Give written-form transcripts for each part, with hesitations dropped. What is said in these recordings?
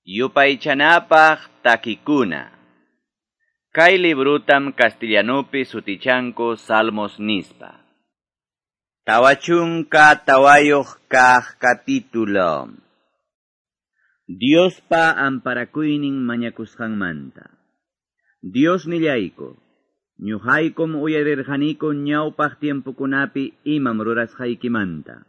Yupaychanapaq takikuna. Kay librutam castellanupi sutichanku Salmos nispa. 44 kaq capítulo. Diospa amparakuynin mañakusqanmanta. Dios nillayku, ñuqaykum uyarirqaniku ñawpaq tiempokunapi imam rurasqaykimanta.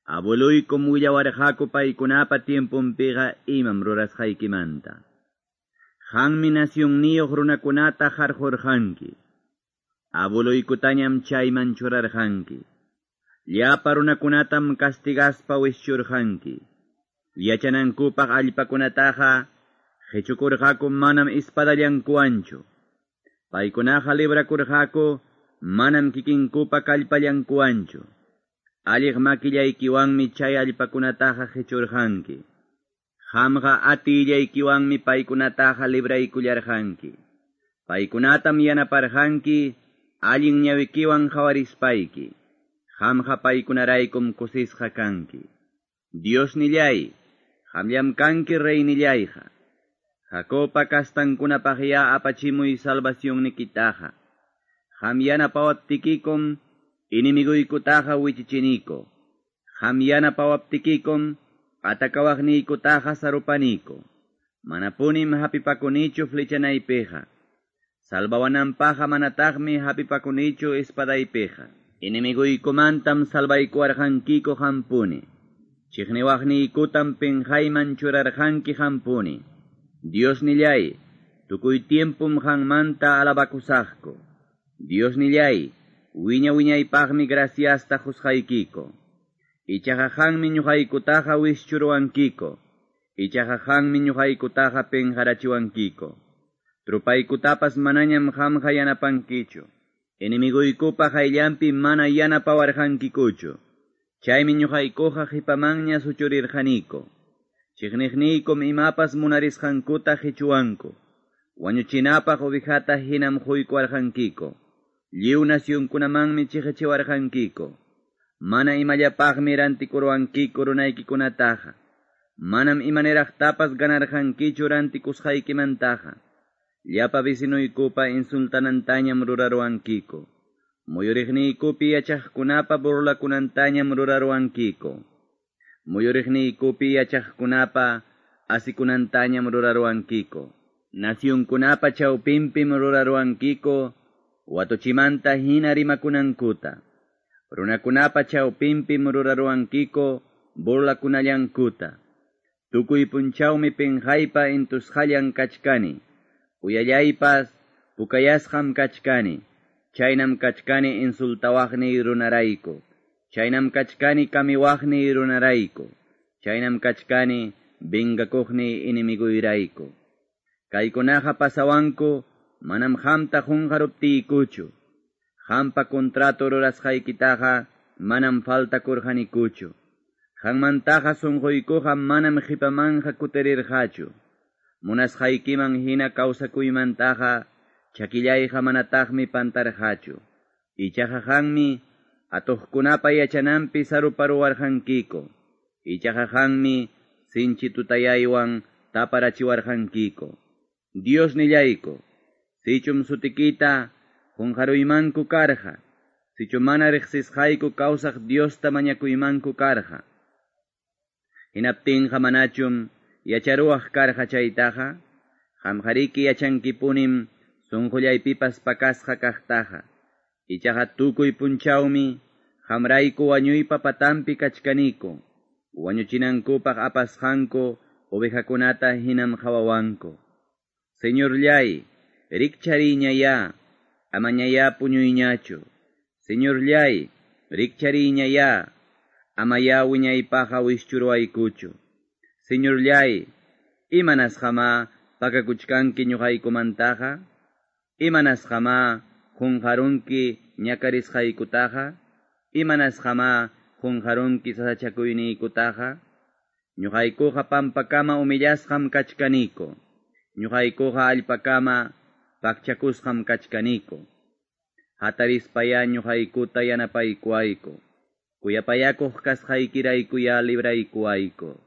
Abueluykum willawarqaku paykunapa tiemponpiqa imam rurasqaykimanta. Qanmi nacionniyuq runakunata qarqurqanki. Abueluykutañam chayman churarqanki. Llapa runakunatam castigaspa wischurqanki. Yachanankupaq allpakunataqa qichukurqaku manam espadallankuwanchu. Paykunaqa librakurqaku manam kikinkupa kallpallankuwanchu. Alliq makillaykiwanmi chay allpakunataqa qichurqanki. Qamqa atillaykiwanmi paykunataqa libraykullarqanki. Paykunatam yanaparqanki allin ñawikiwan qhawarispayki. Qamqa paykunaraykum kusisqa kanki. Dios nillay, qamllam kanki reynillayqa. Jacobpa kastankunapaqya apachimuy salvacionnikitaqa. Qam yanapawaptikikum inimiguykutaqa wichichiniko. Qam yanapawaptikikum atakawaqniykutaqa sarupaniko. Manapunim hapipakunichu flechanaypiqa. Salvawananpaqa manataqmi hapipakunichu espadaypiqa. Enemiguykumantam salvaykuwarqankiku qampuni. Chiqniwaqniykutam pinqayman churarqanki qampuni. Dios nillay, tukuy tiempum qanmanta alabakusaqku. Dios nillay, wiña wiñaypaqmi graciasta qusqaykiko. Ichaqa qanmi ñuqaykutaqa wischuruwankiko. Ichaqa qanmi ñuqaykutaqa pinqarachiwankiko. Trupaykutapas manañam qamqa yanapankichu. Enemiguykupa qayllanpi mana yanapawarqankikuchu. Chaymi ñuqaykuqa qipamanña suchurirqaniko. Chiqniqniykum imapas munarisqankuta qichuwanku. Wañuchinapaq ovejata hinam quykuwarqankiko. Lliw nacionkunamanmi chiqichiwarqankiko. Mana imallapaqmi rantikuruwankiko runaykikunataqa. Manam imaniraqtapas ganarqankichu rantikusqaykimantaqa. Llapa vecinuykupa insultanantañam ruraruwankiko. Muyuriqniykupi yachaqkunapa burlakunantañam ruraruwankiko. Muyuriqniykupi yachaqkunapa asikunantañam ruraruwankiko. Nacionkunapa chawpinpim ruraruwankiko watuchimanta hina rimakunankuta. Runakunapa chawpinpim ruraruwankiko burlakunallankuta. Tukuy punchawmi pinqaypa intusqallan kachkani. Uyallaypas pukayasqam kachkani. Chaynam kachkani insultawaqniy runarayku. Chaynam kachkani kamiwaqniy runarayku. Chaynam kachkani vengakuqniy enemigoyrayku. Kaykunaqa pasawanku manam qamta qunqaruptiykuchu. Qampa contrato rurasqaykitaqa manam faltakurqanikuchu. Qanmantaqa sunquykuqa manam qipamanqa kutirirqachu. Munasqaykiman hina kawsakuymantaqa chakillayqa manataqmi pantarqachu. Ichaqa qanmi atuqkunapa yachananpi saruparuwarqankiko. Ichaqa qanmi sinchi tutayaywan taparachiwarqankiko. Dios nillayku, sichum sutikita qunqaruymanku karqa. Sichu mana riqsisqayku kawsaq Diosta mañakuymanku karqa. Hinaptinqa manachum yacharuwaq karqa chaytaqa, qamqariki yachankipunim sunqullaypipas pakasqa kaqtaqa. Ichaqa tukuy punchawmi qamrayku wañuypa patanpi kachkaniko. Wañuchinankupaq apasqanku ovejakunata hinam qhawawanku. Señorllay, rikchariñayá, amañayá puñuyñachu. Señorllay, rikchariñayá, amayá wiñaypaqa wischuruwaykuchu. Señorllay, imanasqamá pakakuchkanki ñuqaykumantaqa? Imanasqamá qunqarunki ñakarisqaykutaqa? Imanasqamá qunqarunki sasachakuyniykutaqa? Ñuqaykuqa pampakama humillasqam kachkaniko. Ñuqaykuqa allpakama pakchakusqam kachkaniko. Hatarispayá ñuqaykuta yanapaykuwayku. Kuyapayakuq kasqaykiraykuya libraykuwayku.